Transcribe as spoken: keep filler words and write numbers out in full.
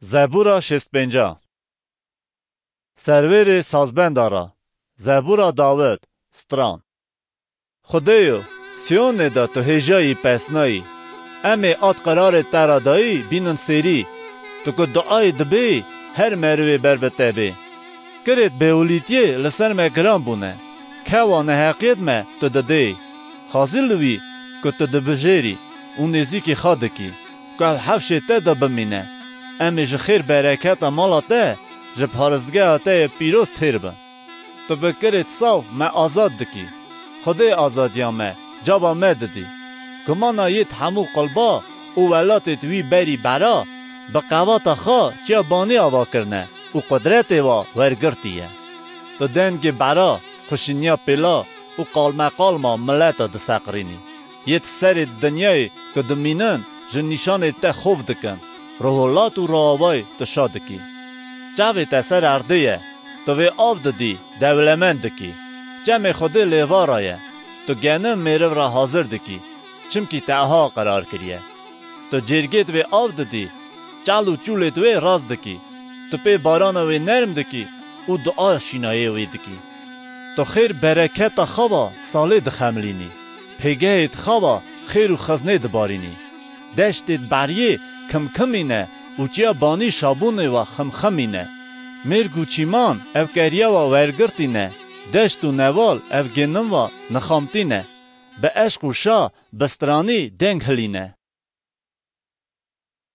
Zebûra şêst pênca. Serwêrê sazbenda ra. Zebûra Dawid. Stran. Xwedêyo, Siyonê de tu hêjayî pesnayî. Em ê at qerarê te ra dayî bînin sêrî. Tu ku duayê dibê, her merivê ber bi te bê. Kirêt bêwilîtiyê li ser me giran bûne. Kewa neheqiyêt me tu didê. Xazî li wî ku tu dibijêrî û nêzîkî xwe dikî, ku ev hewşê te de bimîne. Em ê ji xêr bereketa mala te, ji paristgeha te yê pîroz têr bin. Tu bi kirêt saw me azad dikî. Xwedê azadiya me, caba me didî. Gumana yêt hemû qulba û welatêt wî berî bera, bi qewata xwe çiya banî ava kirine û qudretê wa wergirtî ye. Tu dengê bera, xuşiniya pêla û qalmeqalma mileta diseqirînî. Yêt serê dinyayê ku dimînin, ji nîşanê te xof dikin. Roholat û roavayê tu şa dikî. Çavê te ser erdê ye, tu vê av didî, dewlemend dikî. Çemê Xwedê lêva ra ye, tu genim mêriv ra hazir dikî, çimkî te aha qerar kiriye. Tu cêrgêt wê av didî, çal û çûlêt wê rast dikî. Tu pê barana wê nerm dikî û dua şînayê wê dikî. Tu xêr bereketa xwe va salê dixemilînî. Pêgehêt xwe va xêr û xiznê dibarînî. Deştêt beriyê kimkimîne û çiya banî şabûnê wa ximximîne. Mêrg û çîman ev keriya wa wergirtîne. Deşt û newal ev genim wa nixamtîne. Bi eşq û şa, bi stranî deng hilîne.